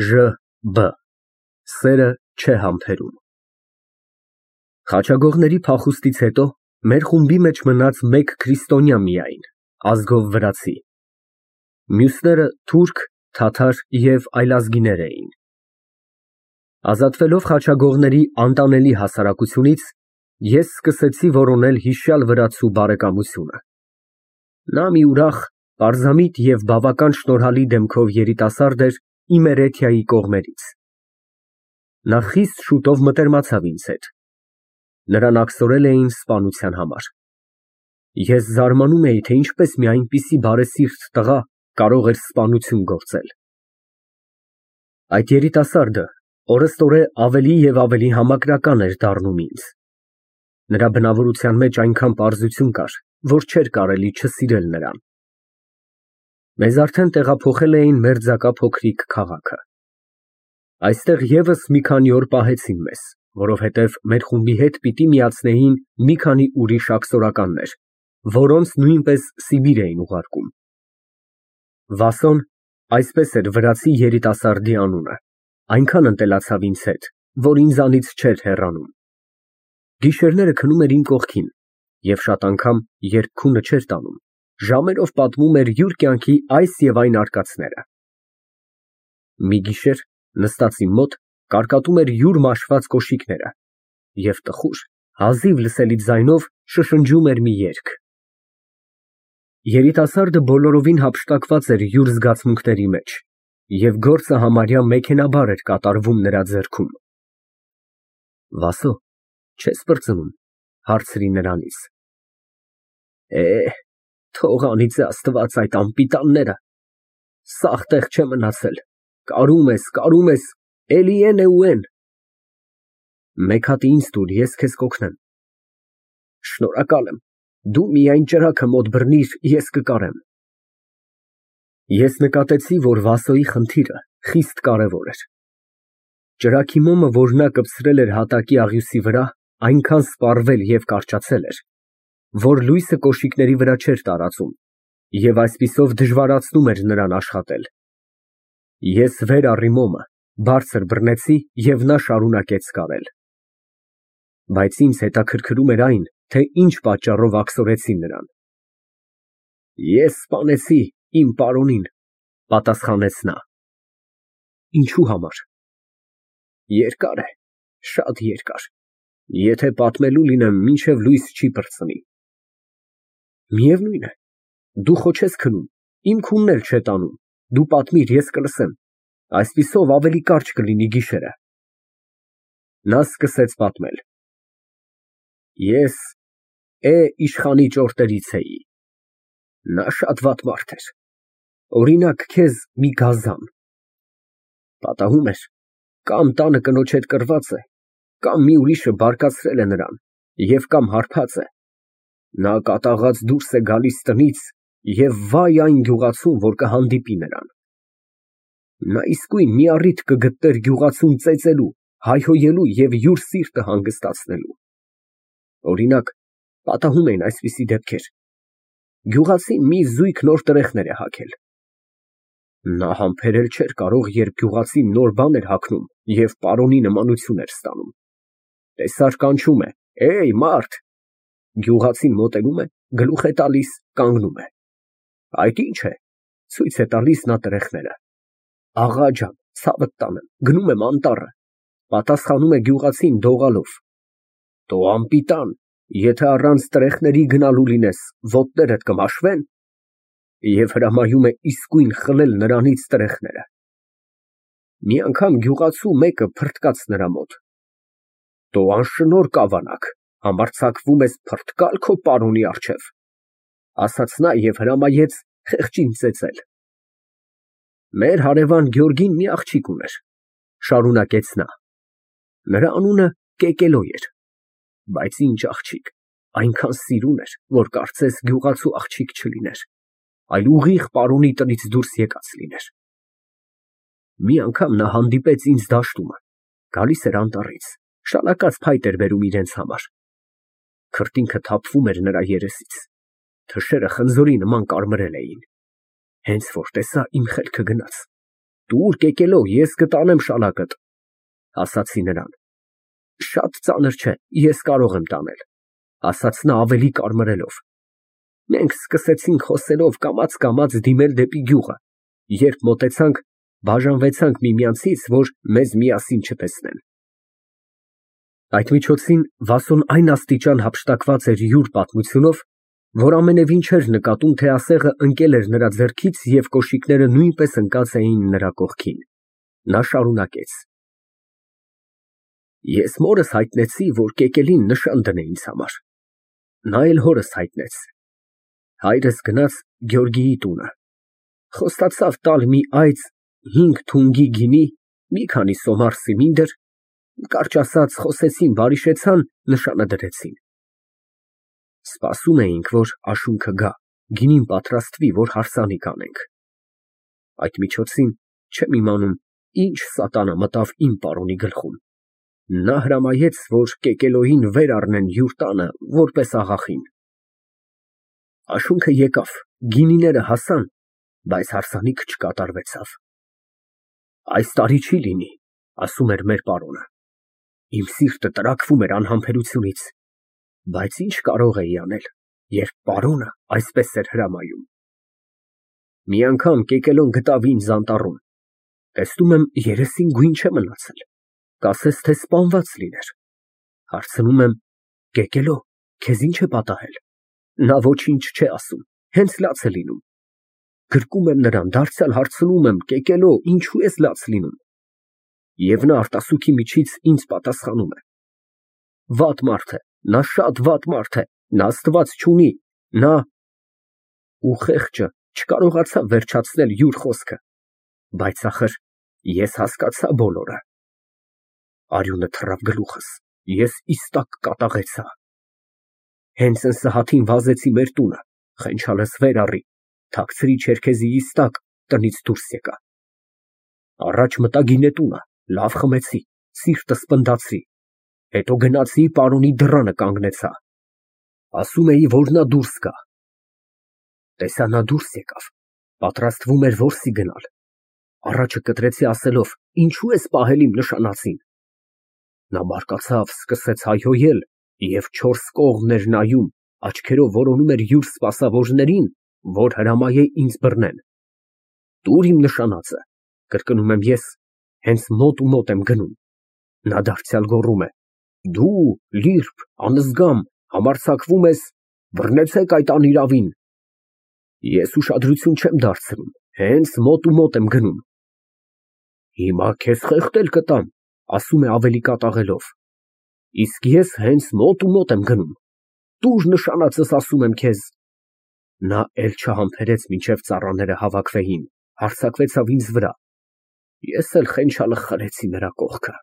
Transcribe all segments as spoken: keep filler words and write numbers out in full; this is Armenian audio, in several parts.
Ժ B Սերը չէ համբերում։ Խաչագողների փախուստից հետո մեր խումբի մեջ մնաց մեկ քրիստոնյա միայն, ազգով վրացի, մյուսները թուրք, թաթար և այլազգիներ էին։ Ազատվելով խաչագողների անտանելի հասարակությունից, ես սկսեցի որոնել հիշյալ վրացու բարեկամությունը։ Նա մի ուրախ, պարզամիտ և բավական շնորհալի դեմքով երիտասարդ էր իմ էրեթիայի կողմերից։ Նա խիստ շուտով մտերմացավ ինձ հետ։ Նրան աքսորել էին սպանության համար։ Ես զարմանում էի, թե ինչպես մի այնպիսի բարեսիրտ տղա կարող էր սպանություն գործել։ Այդ երիտասարդը օրըստօրե ավելի և ավելի համակրական էր դառնում ինձ։ Նրա բնավորության մեջ այնքան պարզություն կար, որ չէր կարելի չսիրել նրան։ Մեզ արդեն տեղափոխել էին մերձակա փոքրիկ քաղաքը։ Այստեղ ևս մի քանի օր պահեցին մեզ, որովհետև մեր խումբի հետ պիտի միացնեին մի քանի ուրիշ աքսորականներ, որոնց նույնպես Սիբիր էին ուղարկում։ Վասոն, այսպես էր վրացի երիտասարդի անունը, այնքան ընտելացավ ինձ հետ, որ ինձանից չէր հեռանում։ Գիշերները քնում էր իմ կողքին և շատ անգամ, երբ քունը չէր տանում, ժամերով պատմում էր յուր կյանքի այս և այն արկածները։ Մի գիշեր, նստած իմ մոտ, կարկատում էր յուր մաշված կոշիկները և տխուր, հազիվ լսելի ձայնով շշնջում էր մի երգ։ Երիտասարդը բոլորովին հափշտակված էր յուր զգացմունքների մեջ և գործը համարյա մեքենայաբար էր կատարվում նրա ձեռքում։ Վասո, չե՞ս պրծնում, հարցրի նրանից։ Է, թող անիծե Աստված այդ անպիտանները, սաղ տեղ չէ մնացել, կարում ես, կարում ես, էլի են ու են։ Մեկ հատի ինձ տուր, ես քեզ կօգնեմ։ Շնորհակալ եմ, դու միայն ճրագը մոտ բռնիր, ես կկարեմ։ Ես նկատեցի, որ Վասոյի խնդիրը խիստ կարևոր էր։ Ճրագի մոմը, որ նա կպցրել էր հատակի աղյուսի վրա, այնքան սպառվել և կարճացել էր, որ լույսը կոշիկների վրա չէր տարածում և այսպիսով դժվարացնում էր նրան աշխատել։ Ես վեր առի մոմը, բարձր բռնեցի և նա շարունակեց կարել։ Բայց ինձ հետաքրքրում էր այն, թե ինչ պատճառով աքսորեցին նրան։ Ես սպանեցի իմ պարոնին, պատասխանեց նա։ Ինչու համար։ Երկար է, շատ երկար, եթե պատմելու լինեմ, մինչև լույս չի պրծնի։ Միևնույն է, դու խո չես քնում, իմ քունն էլ չէ տանում, դու պատմիր, ես կլսեմ, այսպիսով ավելի կարճ կլինի գիշերը։ Նա սկսեց պատմել։ Ես Է իշխանի ճորտերից էի։ Նա շատ վատ մարդ էր, օրինակ քեզ մի գազան։ Պատահում էր, կամ տանը կնոջ հետ կռված է, կամ մի ուրիշը բարկացրել է նրան և կամ հարբած է։ Նա կատաղած դուրս է գալիս տնից և վայ այն գյուղացուն, որ կհանդիպի նրան։ Նա իսկույն մի առիթ կգտներ գյուղացուն ծեծելու, հայհոյելու և յուր սիրտը հանգստացնելու։ Օրինակ, պատահում էին այսպիսի դեպքեր. գյուղացին մի զույգ նոր տրեխներ է հագել։ Նա համբերել չէր կարող, երբ գյուղացին նոր բան էր հագնում և պարոնի նմանություն էր ստանում։ Տեսար կանչում է. «Էյ, մարդ»։ Գյուղացին մոտենում է, գլուխ է տալիս, կանգնում է։ Այդ ի՞նչ է։ Ցույց է տալիս նա տրեխները։ Աղա ջան, ցավդ տանեմ, գնում եմ անտառը։ Պատասխանում է գյուղացին դողալով։ Տո անպիտան, եթե առանց տրեխների գնալու լինես, ոտներդ կմաշվե՞ն։ Եվ հրամայում է իսկույն խլել նրանից տրեխները։ Մի անգամ գյուղացու մեկը փռթկաց նրա մոտ։ Տո անշնորհ կավանակ, համարձակվում ես փռթկալ քո պարոնի առջև, ասաց նա և հրամայեց խեղճին ծեծել։ Մեր հարևան Գյորգին մի աղջիկ ուներ, շարունակեց նա։ Նրա անունը Կեկելո էր, բայց ինչ աղջիկ, այնքան սիրուն էր, որ կարծես գյուղացու աղջիկ չլիներ, այլ ուղիղ պարոնի տնից դուրս եկած լիներ։ Մի անգամ նա հանդիպեց ինձ դաշտում, գալիս էր անտառից, շալակած փայտ էր բերում իրենց համար։ Քրտինքը թափվում էր նրա երեսից, թշերը խնձորի նման կարմրել էին։ Հենց որ տեսա, իմ խելքը գնաց։ Տուր կեկելով, ես կտանեմ շալակդ, ասացի նրան։ Շատ ծանր չէ, ես կարող եմ տանել, ասաց նա ավելի կարմրելով։ Մենք սկսեցինք խոսելով կամաց֊կամաց դիմել դեպի գյուղը, երբ մոտեցանք, բաժանվեցանք միմյանցից, որ մեզ միասին չտեսնեն։ Այդ միջոցին Վասոն այն աստիճան հափշտակված էր յուր պատմությունով, որ ամենևին չէր նկատում, թե ասեղը ընկել էր նրա ձեռքից և կոշիկները նույնպես ընկած էին նրա կողքին։ Նա շարունակեց. Ես մորս հայտնեցի, որ կեկելին նշան դնե ինձ համար։ Նա էլ հորս հայտնեց։ Հայրս գնաց Գեորգիի տունը, խոստացավ տալ մի այծ հինգ թունգի գինի, մի քանի սոմար սիմինդր, կարճ ասած, խոսեցին, բարիշեցան, նշանը դրեցին։ Սպասում էինք, որ աշունքը գա, գինին պատրաստվի, որ հարսանիք անենք։ Այդ միջոցին չեմ իմանում, ինչ սատանա մտավ իմ պարոնի գլխում։ Նա հրամայեց, որ կեկելոյին վեր առնեն յուր տանը, որպես աղախին։ Աշունքը եկավ, գինիները հասան, բայց հարսանիքը չկատարվեցավ։ Այս տարի չի լինի, ասում էր մեր պարոնը։ Իմ սիրտը տրաքվում էր անհամբերությունից, բայց ինչ կարող էի անել, երբ պարոնը այսպես էր հրամայում։ Մի անգամ կեկելոն գտավ ինձ անտառում, տեսնում եմ, երեսին գույն չէ մնացել, կասես, թե սպանված լիներ։ Հարցնում եմ. կեկելո, քեզ ինչ է պատահել։ Նա ոչինչ չէ ասում, հենց լաց է լինում։ Գրկում եմ նրան, դարձյալ հարցնում եմ. կեկելո, ինչու ես լաց լինում։ Եվ նա արտասուքի միջից ինձ պատասխանում է. վատ մարդ է, նա շատ վատ մարդ է, նա Աստված չունի, նա… Ու խեղճը չկարողացավ վերջացնել յուր խոսքը, բայց ախր ես հասկացա բոլորը։ Արյունը թռավ գլուխս, ես իստակ կատաղեցա։ Հենց ընսահատին վազեցի մեր տունը, խենչալս վեր առի, թաքցրի չերքեզիիս տակ, տնից դուրս եկա։ Առաջ մտա գինետունը, լավ խմեցի, սիրտս պնդացրի, հետո գնացի պարոնի դռանը կանգնեցա։ Ասում էի, որ նա դուրս գա։ Տեսա նա դուրս եկավ, պատրաստվում էր որսի գնալ։ Առաջը կտրեցի ասելով. ինչու ես պահել իմ նշանածին։ Նա բարկացավ, սկսեց հայհոյել և չորս կողմն էր նայում, աչքերով որոնում էր յուր սպասավորներին, որ հրամայե ինձ բռնեն։ Տուր իմ նշանածը, կրկնում եմ ես, հենց մոտ ու մոտ եմ գնում։ Նա դարձյալ գոռում է. դու, լիրբ, անզգամ, համարձակվում ես, բռնեցեք այդ անիրավին։ Ես ուշադրություն չեմ դարձնում, հենց մոտ ու մոտ եմ գնում։ Հիմա քեզ խեղդել կտամ, ասում է ավելի կատաղելով։ Իսկ ես հենց մոտ ու մոտ եմ գնում։ Տուր նշանածս, ասում եմ քեզ։ Նա էլ չհամբերեց, մինչև ծառաները հավաքվեին, հարձակվեցավ ինձ վրա։ Ես էլ խենչալը խրեցի նրա կողքը։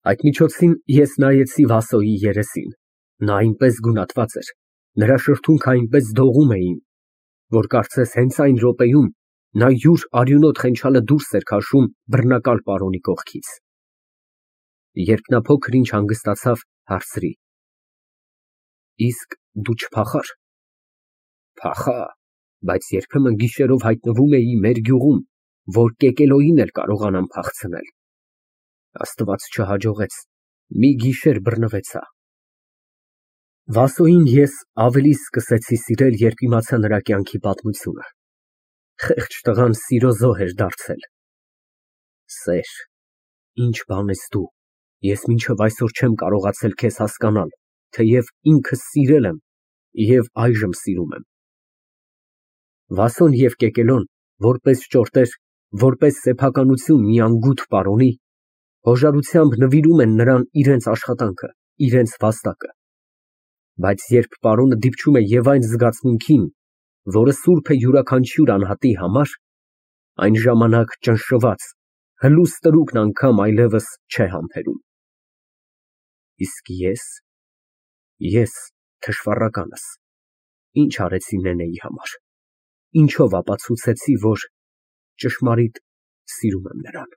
Այդ միջոցին ես նայեցի Վասոյի երեսին, նա այնպես գունատված էր, նրա շրթունքը այնպես դողում էին, որ կարծես հենց այն րոպեում նա յուր արյունոտ խենչալը դուրս էր քաշում բռնակալ պարոնի կողքից։ Երբ նա փոքր ինչ հանգստացավ, հարցրի. իսկ դու չփախար։ Փախա, բայց երբեմն գիշերով հայտնվում էի մեր գյուղում, որ կեկելոյին էլ կարողանամ փախցնել։ Աստված չհաջողեց, մի գիշեր բռնվեցա։ Վասոյին ես ավելի սկսեցի սիրել, երբ իմացա նրա կյանքի պատմությունը։ Խեղճ տղան սիրո զոհ էր դարձել։ Սեր, ինչ բան ես դու, ես մինչև այսօր չեմ կարողացել քեզ հասկանալ, թեև ինքս սիրել եմ և այժմ սիրում եմ։ Վասոն և կեկելոն, որպես ճորտեր, որպես սեփականություն մի անգութ պարոնի, հոժարությամբ նվիրում են նրան իրենց աշխատանքը, իրենց վաստակը։ Բայց երբ պարոնը դիպչում է և այն զգացմունքին, որը սուրբ է յուրաքանչյուր անհատի համար, այն ժամանակ ճնշված, հլուս տրուկն անգամ այլևս չէ համբերում։ Իսկ ես… ես թշվառականս, ինչ արեցի նենեի համար, ինչով ապացուցեցի, որ ճշմարիտ սիրում եմ նրան։